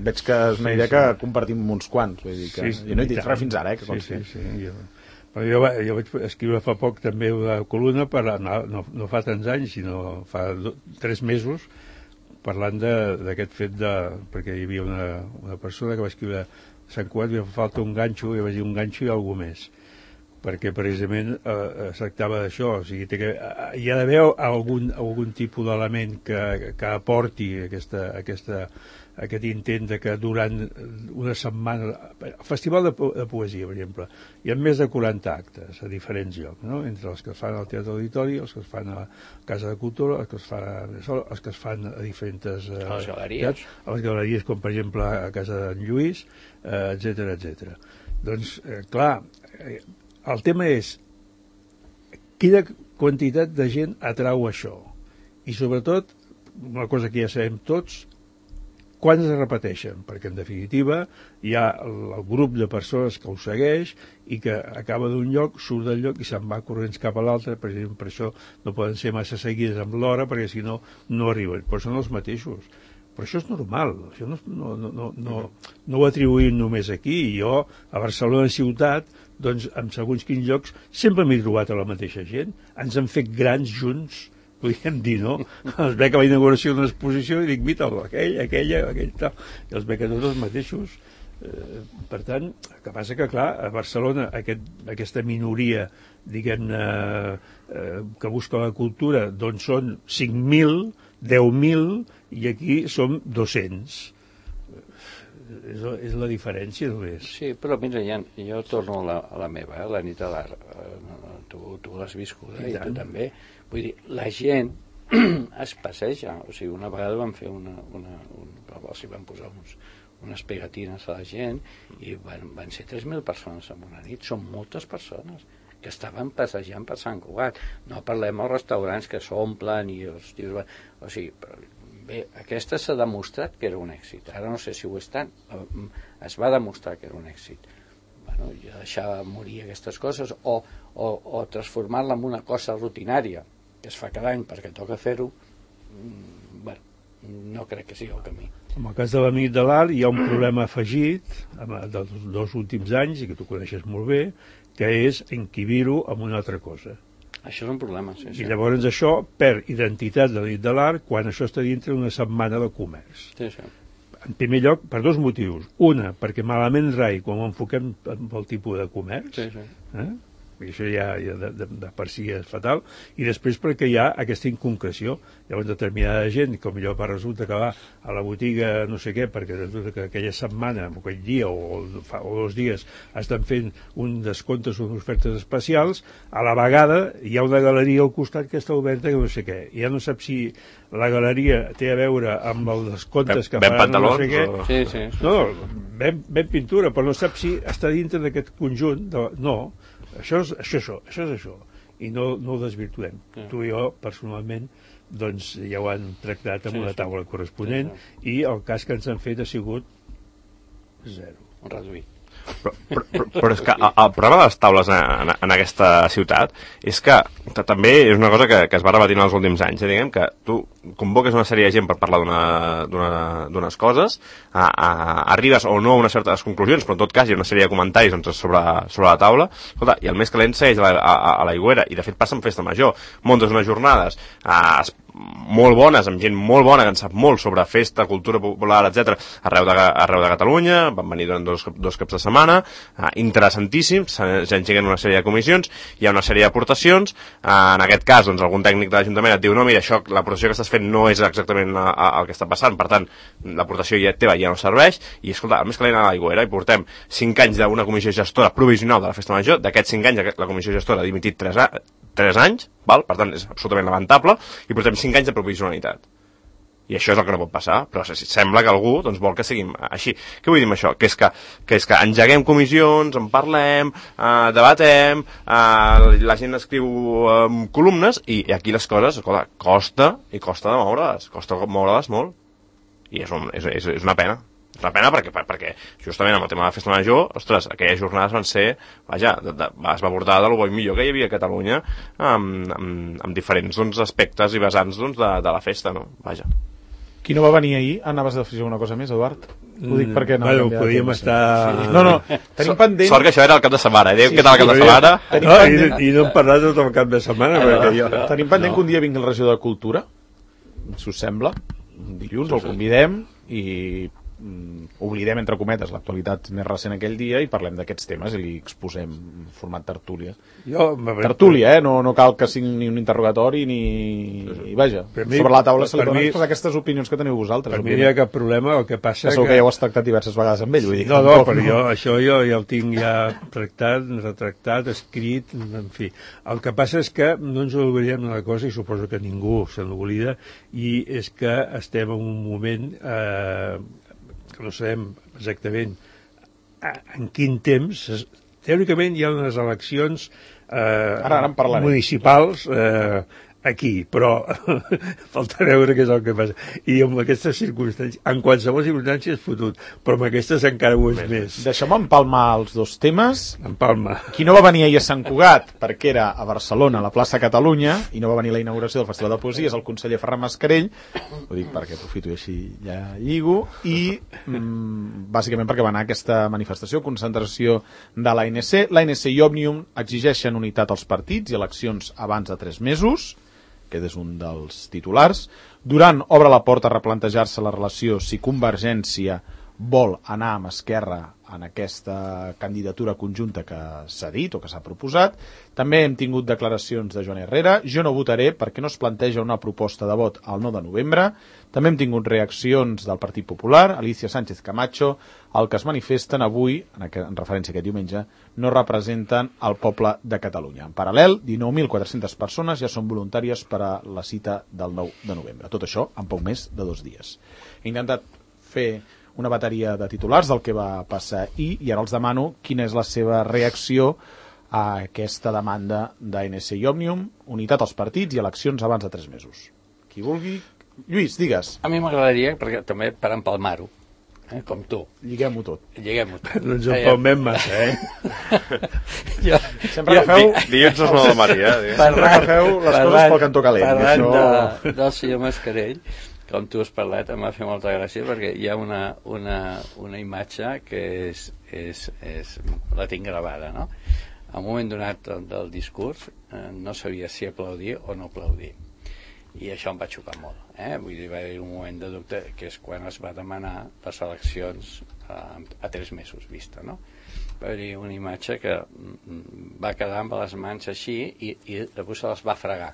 veig que és una idea que compartim uns quants. Vull dir que, sí, jo no he dit res fins ara, eh, que sí, sí, sí, jo... Però jo, jo vaig escriure fa poc també una columna, per, no, no, no fa tants anys, sinó fa do, tres mesos, parlant d'aquest fet de... perquè hi havia una, una persona que va escriure Sant Cugat, li fa falta un ganxo, i va dir un ganxo i alguna més. perquè precisament eh, es tractava d'això, o sigui, té que, hi ha d'haver algun, algun tipus d'element que, que aporti aquesta, aquesta, aquest intent de que durant una setmana, el Festival de, po de Poesia, per exemple, hi ha més de quaranta actes a diferents llocs, no? Entre els que es fan al Teatre Auditori, els que es fan a Casa de Cultura, els que es fan a, els que es fan a diferents eh, a les galeries, a les galeries com per exemple a Casa d'en Lluís, eh, etcètera, etcètera. Doncs, eh, clar, eh, el tema és quina quantitat de gent atrau això i sobretot, una cosa que ja sabem tots, quan es repeteixen, perquè en definitiva hi ha el, el grup de persones que ho segueix i que acaba d'un lloc, surt del lloc i se'n va corrents cap a l'altre, per exemple, per això no poden ser massa seguides amb l'hora perquè si no, no arriben, però són els mateixos. Però això és normal, això no, no, no, no, no, no ho atribuïm només aquí. Jo, a Barcelona ciutat, doncs, en segons quins llocs, sempre m'he trobat a la mateixa gent. Ens han fet grans junts, podríem dir, no? Els veig a la inauguració d'una exposició i dic, mira, aquell, aquella, aquell tal, i els veig a tots els mateixos. Eh, per tant, el que passa que, clar, a Barcelona aquest, aquesta minoria, diguem-ne, eh, que busca la cultura, doncs són cinc mil, deu mil, i aquí som dos-cents. És, és la diferència només. Sí, però mira, ja, jo torno a la, a la meva, eh, la nit de l'art. Eh, tu tu l'has viscut, eh, i, i tu també. Vull dir, la gent es passeja. O sigui, una vegada van fer una... una un, o sigui, van posar uns, unes pegatines a la gent i van, van ser tres mil persones en una nit. Són moltes persones que estaven passejant per Sant Cugat. No parlem als restaurants que s'omplen i els tios van... O sigui, però, bé, aquesta s'ha demostrat que era un èxit. Ara no sé si ho és tant. Es va demostrar que era un èxit. Bueno, i deixar morir aquestes coses o, o, o transformar-la en una cosa rutinària que es fa cada any perquè toca fer-ho, bueno, no crec que sigui el camí. En el cas de la nit de l'art hi ha un problema afegit dels dos últims anys, i que tu coneixes molt bé, que és encabir-ho amb una altra cosa. Això és un problema, sí, sí. I llavors això perd identitat de la nit de l'art quan això està dintre d'una setmana de comerç. Sí, sí. En primer lloc, per dos motius. Una, perquè malament rai quan ho enfoquem amb el tipus de comerç, sí, sí. Eh? I això ja, ja de, de, de per si és fatal, i després perquè hi ha aquesta inconcreció. Llavors determinada gent, com millor per resulta que va a la botiga no sé què, perquè resulta que aquella setmana, o aquell dia o, fa, o dos dies estan fent un descomptes o unes ofertes especials, a la vegada hi ha una galeria al costat que està oberta que no sé què. I ja no sap si la galeria té a veure amb els descomptes que ben faran no sé què. O... Sí, sí, sí. No, ben, ben pintura, però no sap si està dintre d'aquest conjunt. De... No, això és això, això, això és això, i no, no ho desvirtuem. Sí. Tu i jo, personalment, doncs ja ho han tractat amb sí, una taula corresponent, sí, sí. I el cas que ens han fet ha sigut zero. Un reduït. Però, però, però, però és que el, el problema de les taules en, en aquesta ciutat és que també és una cosa que, que es va repetint els últims anys, eh? Diguem que tu convoques una sèrie de gent per parlar d'unes coses, a, a, arribes o no a unes certes conclusions, però en tot cas hi ha una sèrie de comentaris doncs, sobre, sobre la taula. Escolta, i el més calent segueix a, a, a l'Aigüera, i de fet passa en Festa Major, muntes unes jornades a, molt bones, amb gent molt bona que en sap molt sobre festa, cultura popular, etcètera, arreu de, arreu de Catalunya. Van venir durant dos, dos caps de setmana, eh, interessantíssims, s'engeguen una sèrie de comissions, hi ha una sèrie d'aportacions, eh, en aquest cas doncs, algun tècnic de l'Ajuntament et diu no, mira, això, l'aportació que estàs fent no és exactament la, el que està passant, per tant l'aportació ja teva ja no serveix, i escolta, el més calent a l'Aigüera, i portem cinc anys d'una comissió gestora provisional de la Festa Major. D'aquests cinc anys la comissió gestora ha dimitit tres, a, tres anys, val? Per tant és absolutament lamentable, i portem cinc anys de provisionalitat. I això és el que no pot passar, però sembla que algú doncs, vol que siguin així. Què vull dir amb això? Que és que, que, és que engeguem comissions, en parlem, eh, debatem, eh, la gent escriu eh, columnes, i, i aquí les coses, escolta, costa, i costa de moure-les, costa moure-les molt, i és, un, és, és, és una pena. És una pena perquè, perquè justament amb el tema de la Festa Major, ostres, aquelles jornades van ser, vaja, de, de, es va abordar del bo i millor que hi havia a Catalunya amb, amb, amb diferents doncs, aspectes i vessants doncs, de, de la festa, no? Vaja. Qui no va venir ahir? Anaves a afegir una cosa més, Eduard? Ho dic perquè no... Bueno, podíem estar... No, no, tenim pendent... Sort que això era el cap de setmana, eh? Sí, Què tal el cap de setmana? No, pendent... i, I no hem parlat tot el cap de setmana, eh, perquè jo... Tenim pendent no. que un dia vingui el regidor de Cultura, si us sembla, dilluns, el convidem, i mm, oblidem, entre cometes, l'actualitat més recent aquell dia i parlem d'aquests temes i li exposem en format tertúlia. Jo, tertúlia, eh? No, no cal que sigui ni un interrogatori ni... I vaja, mi, sobre la taula se li poden mi, exposar aquestes opinions que teniu vosaltres. Per mi no hi ha cap problema, el que passa que... Segur que ja ho has tractat diverses vegades amb ell. Vull dir, no, no, però jo, això jo ja ho tinc ja tractat, retractat, escrit, en fi. El que passa és que no ens oblidem d'una cosa, i suposo que ningú se n'oblida, i és que estem en un moment eh, que no sabem exactament en quin temps. Teòricament hi ha unes eleccions eh, ara, ara municipals eh, aquí, però falta veure què és el que passa. I amb aquestes circumstàncies, en qualsevol circumstància és fotut, però amb aquestes encara ho és més. més. Deixem empalmar els dos temes. Empalma. Qui no va venir ahir a Sant Cugat, perquè era a Barcelona, a la plaça Catalunya, i no va venir a la inauguració del Festival de Poesia, és el conseller Ferran Mascarell, ho dic perquè aprofito i així ja lligo, i mm, bàsicament perquè va anar a aquesta manifestació, concentració de l'A N C. L'A N C i Òmnium exigeixen unitat als partits i eleccions abans de tres mesos, que és un dels titulars. Duran obre la porta a replantejar-se la relació si Convergència vol anar amb Esquerra en aquesta candidatura conjunta que s'ha dit o que s'ha proposat. També hem tingut declaracions de Joan Herrera. Jo no votaré perquè no es planteja una proposta de vot al nou de novembre. També hem tingut reaccions del Partit Popular, Alicia Sánchez Camacho, el que es manifesten avui, en, aquest, en referència a aquest diumenge, no representen el poble de Catalunya. En paral·lel, dinou mil quatre-centes persones ja són voluntàries per a la cita del nou de novembre. Tot això en poc més de dos dies. He intentat fer una bateria de titulars del que va passar ahir i ara els demano quina és la seva reacció a aquesta demanda d'A N C i Òmnium, unitat als partits i eleccions abans de tres mesos. Qui vulgui. Lluís, digues. A mi m'agradaria, perquè també per empalmar-ho, eh, com tu. Lliguem-ho tot. Lliguem-ho tot. No ens empalmem massa, eh? jo, Sempre agafeu... Dilluns és nou de matí, eh? Sempre agafeu les coses pel cantó calent. Parlant això... de, del senyor Mascarell, com tu has parlat, em va fer molta gràcia perquè hi ha una, una, una imatge que és, és, és, la tinc gravada, no? En un moment donat del, del discurs eh, no sabia si aplaudir o no aplaudir, i això em va xocar molt, eh? Vull dir, va haver un moment de dubte, que és quan es va demanar les eleccions a, a tres mesos vista, no? Va haver una imatge que va quedar amb les mans així i, i després se les va fregar.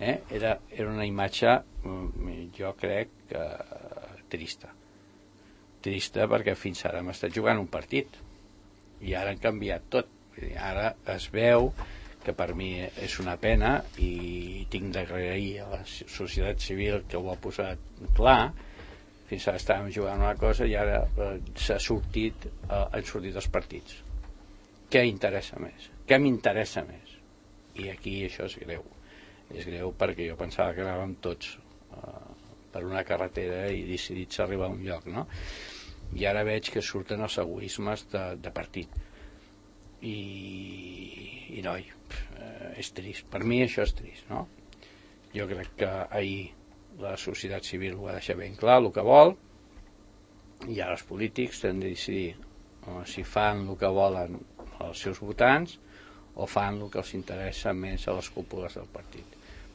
Eh? Era, era una imatge, jo crec que trista trista perquè fins ara hem estat jugant un partit i ara han canviat tot. Ara es veu que per mi és una pena i tinc d'agrair a la societat civil que ho ha posat clar. Fins ara estàvem jugant una cosa i ara eh, s'ha sortit eh, han sortit els partits. Què interessa més? Què m'interessa més? I aquí això és greu. És greu perquè jo pensava que anàvem tots uh, per una carretera i decidits a arribar a un lloc, no? I ara veig que surten els egoismes de, de partit. I, i noi, uh, és trist. Per mi això és trist, no? Jo crec que ahir la societat civil ho va deixar ben clar, el que vol, i ara els polítics han de decidir uh, si fan el que volen els seus votants o fan el que els interessa més a les cúpules del partit,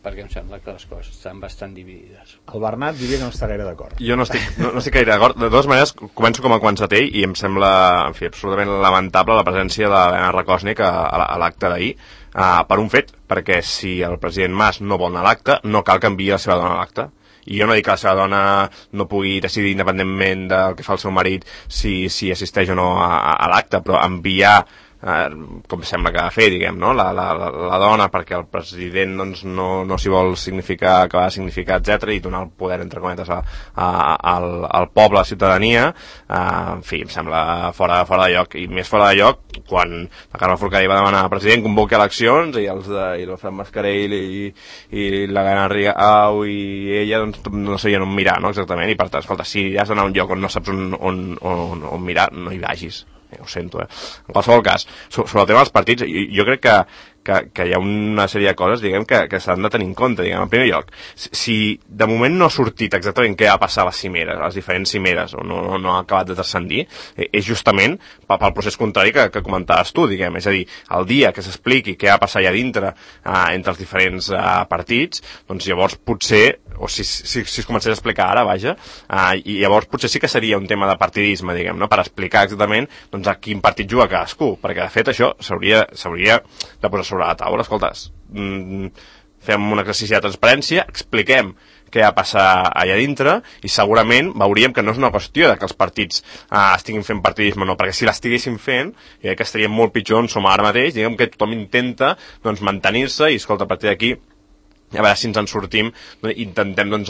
perquè em sembla que les coses estan bastant dividides. El Bernat diria que no està gaire d'acord. Jo no estic, no, no estic gaire d'acord. De totes maneres, començo com a Quanzatell i em sembla, en fi, absolutament lamentable la presència de l'Helena Rakòsnik a, a l'acte d'ahir, uh, per un fet, perquè si el president Mas no vol anar a l'acte, no cal que enviï la seva dona a l'acte. I jo no dic que la seva dona no pugui decidir independentment del que fa el seu marit si, si assisteix o no a, a, a l'acte, però enviar Eh, com sembla que ha de fer, diguem, no? la, la, la dona perquè el president doncs, no, no s'hi vol significar, que va significar, etcètera, i donar el poder, entre cometes, a, a, al, al poble, a la ciutadania, eh, en fi, em sembla fora, fora de lloc, i més fora de lloc quan la Carme Forcadell va demanar al president convoqui eleccions i els de, i el Fran Mascarell i, i la Gana Rigau i ella doncs, no sabien on mirar, no? Exactament, i per tant, escolta, si has d'anar a un lloc on no saps on, on, on, on mirar, no hi vagis. Ho sento, eh? En qualsevol cas, sobre el tema dels partits, jo, jo crec que, que, que hi ha una sèrie de coses, diguem, que, que s'han de tenir en compte, diguem. En primer lloc, si, si de moment no ha sortit exactament què va passar a les cimeres, a les diferents cimeres, o no, no, no ha acabat de transcendir, eh, és justament pel procés contrari que, que comentaves tu, diguem. És a dir, el dia que s'expliqui què va passar allà dintre eh, entre els diferents eh, partits, doncs llavors potser, o si, si, si es comencés a explicar ara, vaja, eh, i llavors potser sí que seria un tema de partidisme, diguem, no? Per explicar exactament doncs, a quin partit juga cadascú, perquè de fet això s'hauria de posar sobre la taula. Escolta, mm, fem un exercici de transparència, expliquem què va passar allà dintre i segurament veuríem que no és una qüestió de que els partits eh, estiguin fent partidisme o no, perquè si l'estiguessin fent, jo crec que estaríem molt pitjor on som ara mateix, diguem que tothom intenta doncs, mantenir-se i, escolta, a partir d'aquí a veure si ens en sortim, intentem doncs,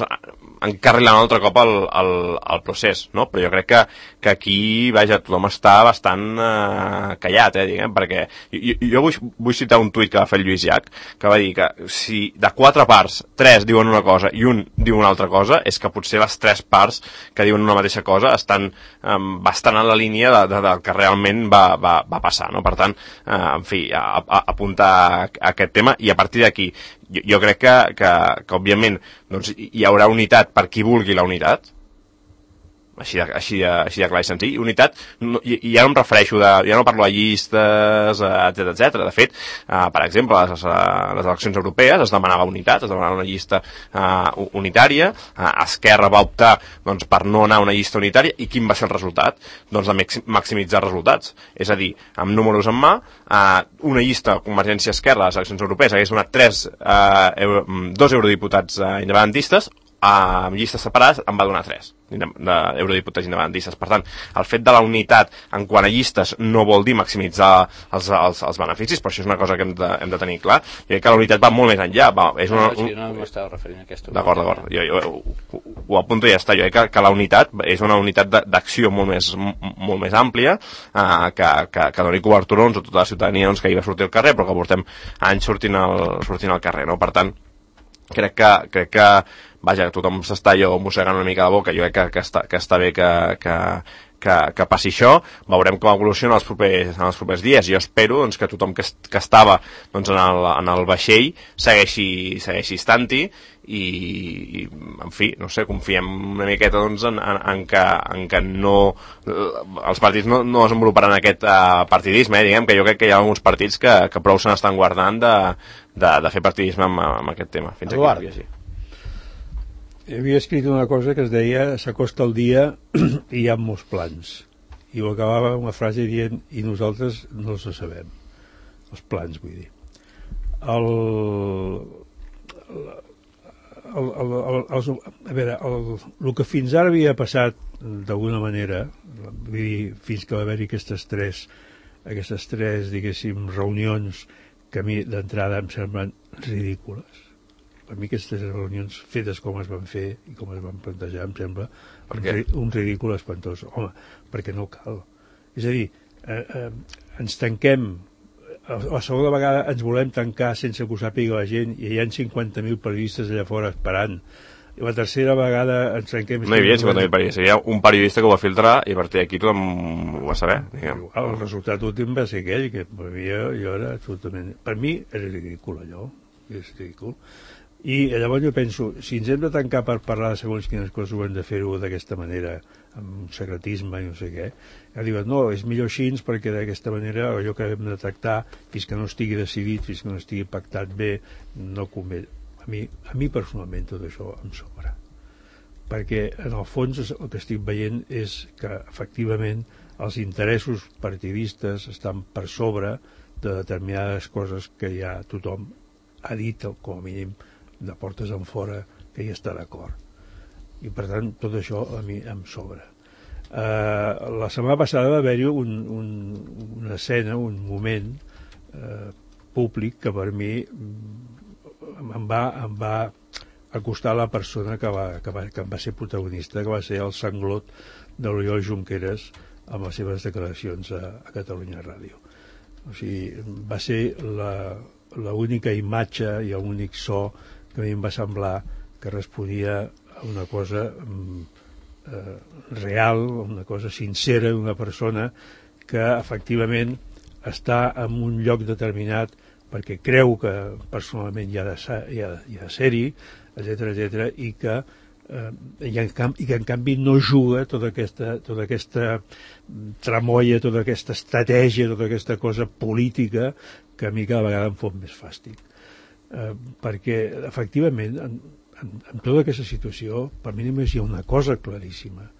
encarrilar un altre cop el, el, el procés, no? Però jo crec que, que aquí, vaja, tothom està bastant eh, callat, eh, diguem, perquè jo, jo vull, vull citar un tuit que va fer el Lluís Llach, que va dir que si de quatre parts, tres diuen una cosa i un diu una altra cosa, és que potser les tres parts que diuen una mateixa cosa estan eh, bastant en la línia de, de, del que realment va, va, va passar, no? Per tant, eh, en fi, a, a, apuntar a, a aquest tema, i a partir d'aquí Jo, jo crec que, que, que òbviament, doncs, hi haurà unitat per qui vulgui la unitat, així de, així de, així de clar i senzill. Unitat, no, i, i ja no em refereixo, de, ja no parlo de llistes, etcètera, etcètera. De fet, eh, per exemple, les, les eleccions europees es demanava unitat, es demanava una llista eh, unitària, eh, Esquerra va optar doncs, per no anar a una llista unitària, i quin va ser el resultat? Doncs de maximitzar resultats. És a dir, amb números en mà, eh, una llista Convergència-Esquerra a les eleccions europees hagués donat tres, eh, euro, dos eurodiputats eh, independentistes, amb llistes separades en va donar tres d'eurodiputats independentistes. Per tant, el fet de la unitat en quant a llistes no vol dir maximitzar els, els, els beneficis, però això és una cosa que hem de, hem de tenir clar. Jo crec que la unitat va molt més enllà. Va, és una, no, no, no m'estava referint a aquesta unitat. D'acord, d'acord. Jo, jo, ho, ho apunto i ja està. Jo crec que, que la unitat és una unitat d'acció molt més, molt més àmplia, eh, que, que, que doni cobertura doncs, a tota la ciutadania doncs, que hi va sortir al carrer, però que portem anys sortint al, sortint al carrer, no? Per tant, crec que, crec que vaja, tothom s'està allò mossegant una mica la boca. Jo crec que, que, està, que està bé que, que, que, que passi això. Veurem com evoluciona els propers, en els propers dies. Jo espero doncs, que tothom que, que estava doncs, en, el, en el vaixell segueixi, segueixi estant-hi i, i, en fi, no sé, confiem una miqueta doncs, en, en, en, que, en que no els partits no, no desenvoluparan aquest uh, partidisme, eh? Diguem que jo crec que hi ha alguns partits que, que prou se n'estan guardant de, de, de fer partidisme amb, amb aquest tema. Fins Eduard. Aquí així. Havia escrit una cosa que es deia s'acosta el dia i hi ha molts plans, i ho acabava una frase dient i nosaltres no els sabem, els plans, vull dir. El, el, el, el, els, a veure, el, el que fins ara havia passat d'alguna manera, vull dir, fins que va haver-hi aquestes tres aquestes tres, diguéssim, reunions que a mi d'entrada em semblen ridícules. Per mi aquestes reunions fetes com es van fer i com es van plantejar em sembla un, un ridícul espantós. Home, perquè no cal. És a dir, eh, eh, ens tanquem, a la segona vegada ens volem tancar sense que ho sàpiga la gent i hi ha cinquanta mil periodistes allà fora esperant. I la tercera vegada ens trenquem... No hi havia cinquanta mil periodistes, hi havia un periodista que ho va filtrar i a partir d'aquí tothom ho va saber. Diguem. El resultat últim va ser aquell, que per mi jo, jo era absolutament... Per mi era ridícul allò, és ridícul. I llavors jo penso, si ens hem de tancar per parlar de segons quines coses, ho hem de fer-ho d'aquesta manera, amb secretisme i no sé què. Ja diuen, no, és millor així perquè d'aquesta manera allò que hem de tractar fins que no estigui decidit, fins que no estigui pactat bé, no convé. A mi, a mi personalment tot això em sobra. Perquè en el fons el que estic veient és que efectivament els interessos partidistes estan per sobre de determinades coses que ja tothom ha dit, com a mínim, de portes en fora que hi està d'acord, i per tant tot això a mi em sobra. Uh, la setmana passada va haver-hi un, un, una escena, un moment uh, públic que per mi em va, em va acostar a la persona que, va, que, va, que em va ser protagonista, que va ser el sanglot de l'Oriol Junqueras amb les seves declaracions a, a Catalunya Ràdio. O sigui, va ser la l'única imatge i l'únic so que a mi em va semblar que responia a una cosa eh, real, una cosa sincera d'una persona que efectivament està en un lloc determinat perquè creu que personalment hi ha de, ser, hi ha, hi ha de ser-hi, etcètera, etcètera, i que eh, i, en canvi, i que en canvi no juga tota aquesta, tota aquesta tramoia, tota aquesta estratègia, tota aquesta cosa política que a mi cada vegada em fot més fàstic. Eh, perquè, efectivament, en, en, en tota aquesta situació, per mi només hi ha una cosa claríssima,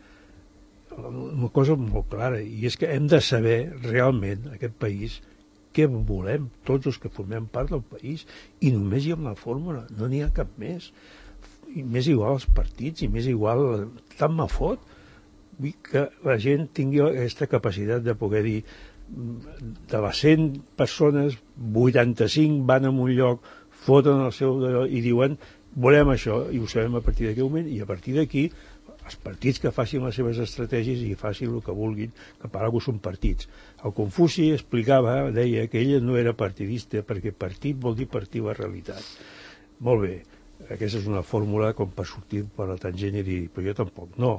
una cosa molt clara, i és que hem de saber realment, aquest país, què volem, tots els que formem part del país, i només hi ha una fórmula, no n'hi ha cap més. I més igual als partits, i més igual, tant me fot, vull que la gent tingui aquesta capacitat de poder dir, de les cent persones, vuitanta-cinc van a un lloc, foten el seu d'allò i diuen, volem això, i ho sabem a partir d'aquest moment, i a partir d'aquí, els partits que facin les seves estratègies i facin el que vulguin, que per alguna són partits. El Confuci explicava, deia que ell no era partidista, perquè partit vol dir partir la realitat. Molt bé, aquesta és una fórmula com per sortir per la tangent i dir, però jo tampoc, no.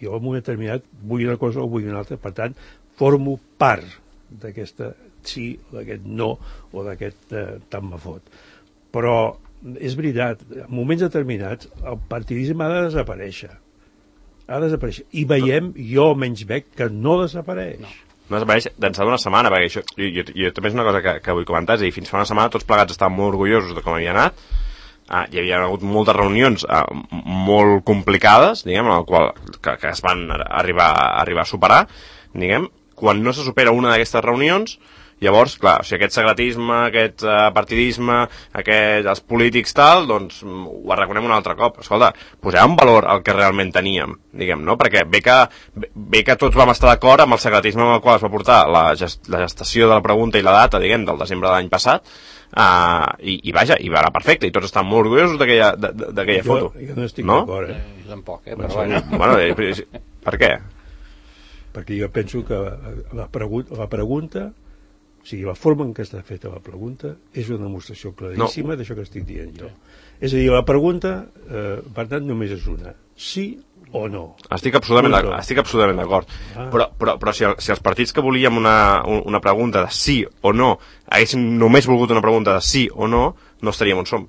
Jo en un moment determinat vull una cosa o vull una altra, per tant, formo part d'aquesta sí, d'aquest no, o d'aquest eh, tant me fot. Però és veritat, en moments determinats el partidisme ha de desaparèixer. Ha de desaparèixer. I veiem, jo menys veig, que no desapareix. No. No desapareix d'ençà d'una setmana, perquè això, jo, jo, jo també és una cosa que, que vull comentar, és a dir, fins fa una setmana tots plegats estàvem molt orgullosos de com havia anat, ah, hi havia hagut moltes reunions ah, molt complicades, diguem, en el qual, que, que es van arribar, arribar a superar, diguem, quan no se supera una d'aquestes reunions, llavors, clar, o sigui, aquest secretisme, aquest uh, partidisme, aquest, els polítics tal, doncs ho arraconem un altre cop. Escolta, posem en valor el que realment teníem, diguem, no? Perquè bé que, bé que tots vam estar d'acord amb el secretisme amb el qual es va portar la, gest, la gestació de la pregunta i la data, diguem, del desembre de l'any passat, uh, i, i vaja, i va anar perfecte, i tots estan molt orgullosos d'aquella foto. Jo no estic no? d'acord, eh? Jo tampoc, eh? Però Però bueno, bueno, per què? Perquè jo penso que la, pregu la pregunta, o sigui, la forma en què està feta la pregunta és una demostració claríssima no. d'això que estic dient jo. És a dir, la pregunta, eh, per tant, només és una. Sí o no? Estic absolutament d'acord. Estic absolutament d'acord. Ah. Però, però, però si, el, si els partits que volíem una, una pregunta de sí o no haguéssim només volgut una pregunta de sí o no, no estaríem on som.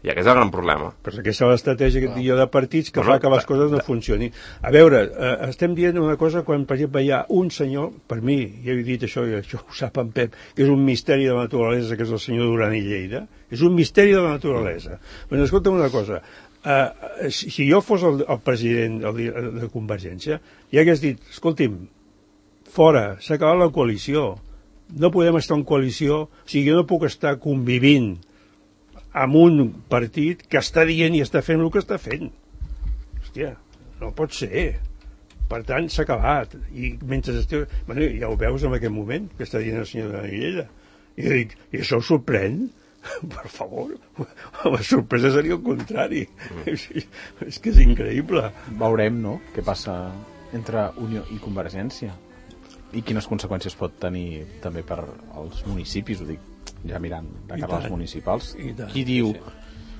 I aquest és el gran problema. Però aquesta és l'estratègia que diu de partits que bueno, fa que les coses no funcionin. A veure, eh, estem dient una cosa quan, per exemple, hi ha un senyor, per mi, ja he dit això, i això ho sap en Pep, que és un misteri de la naturalesa, que és el senyor Duran i Lleida. És un misteri de la naturalesa. Però escolta'm una cosa, eh, si, si jo fos el, el president el, de Convergència, ja hagués dit, escolti'm, fora, s'ha acabat la coalició, no podem estar en coalició, o sigui, jo no puc estar convivint amb un partit que està dient i està fent el que està fent. Hòstia, no pot ser. Per tant, s'ha acabat. I mentre esteu... Bueno, ja ho veus en aquest moment, que està dient el senyor de Guillella. I jo dic, i això us sorprèn? Per favor. La sorpresa seria el contrari. Mm. És que és increïble. Veurem, no?, què passa entre Unió i Convergència. I quines conseqüències pot tenir també per als municipis, ho dic, ja mirant de cara als municipals. Qui diu,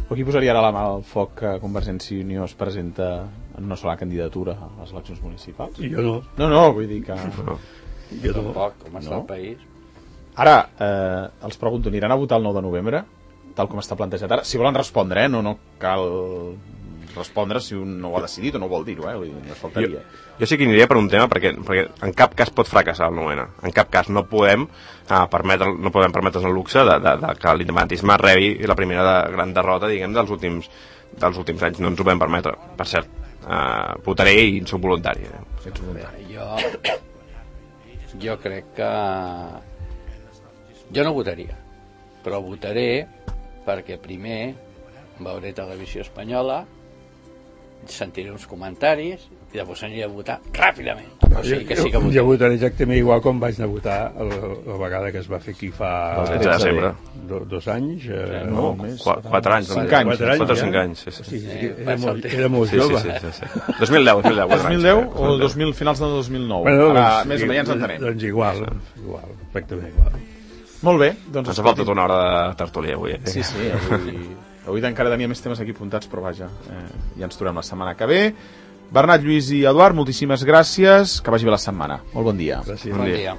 o qui posaria ara la mà al foc que Convergència i Unió es presenta en una sola candidatura a les eleccions municipals? Jo no. No, no, vull dir que... No. Jo tampoc, com està no? el país. Ara, eh, els pregunto, aniran a votar el nou de novembre, tal com està plantejat ara? Si volen respondre, eh? No, no cal respondre si un no ho ha decidit o no ho vol dir-ho, eh? Vull dir, no faltaria. Jo... Jo sí que aniria per un tema perquè, perquè en cap cas pot fracassar el nou ene. En cap cas no podem uh, permetre, no podem permetre's el luxe de, de, de que l'independentisme rebi la primera de, gran derrota, diguem, dels últims, dels últims anys. No ens ho podem permetre. Per cert, uh, votaré i soc voluntari. Eh? Jo, jo crec que... Jo no votaria, però votaré perquè primer veuré televisió espanyola, sentiré uns comentaris i després aniré a votar ràpidament. O sigui que sí que jo, jo votaré exactament igual com vaig anar a votar la, la vegada que es va fer aquí fa el de desembre. Do, dos anys eh, no, no més, quatre, quatre anys cinc anys, quatre anys, quatre o cinc anys sí, sí. Sí, sí, sí, era, molt, era molt sí, jove sí, sí, sí, sí. dos mil deu, dos mil deu, dos mil deu o dos mil, finals de dos mil nou bueno, ara doncs, més o menys ens entenem doncs igual, igual, perfectament igual. Molt bé, doncs ens ha faltat una hora de tertúlia avui eh? sí, sí, avui, avui encara tenia més temes aquí apuntats però vaja, eh, ja ens trobem la setmana que ve. Bernat, Lluís i Eduard, moltíssimes gràcies, que vagi bé la setmana. Molt bon dia. Gràcies. Bon dia.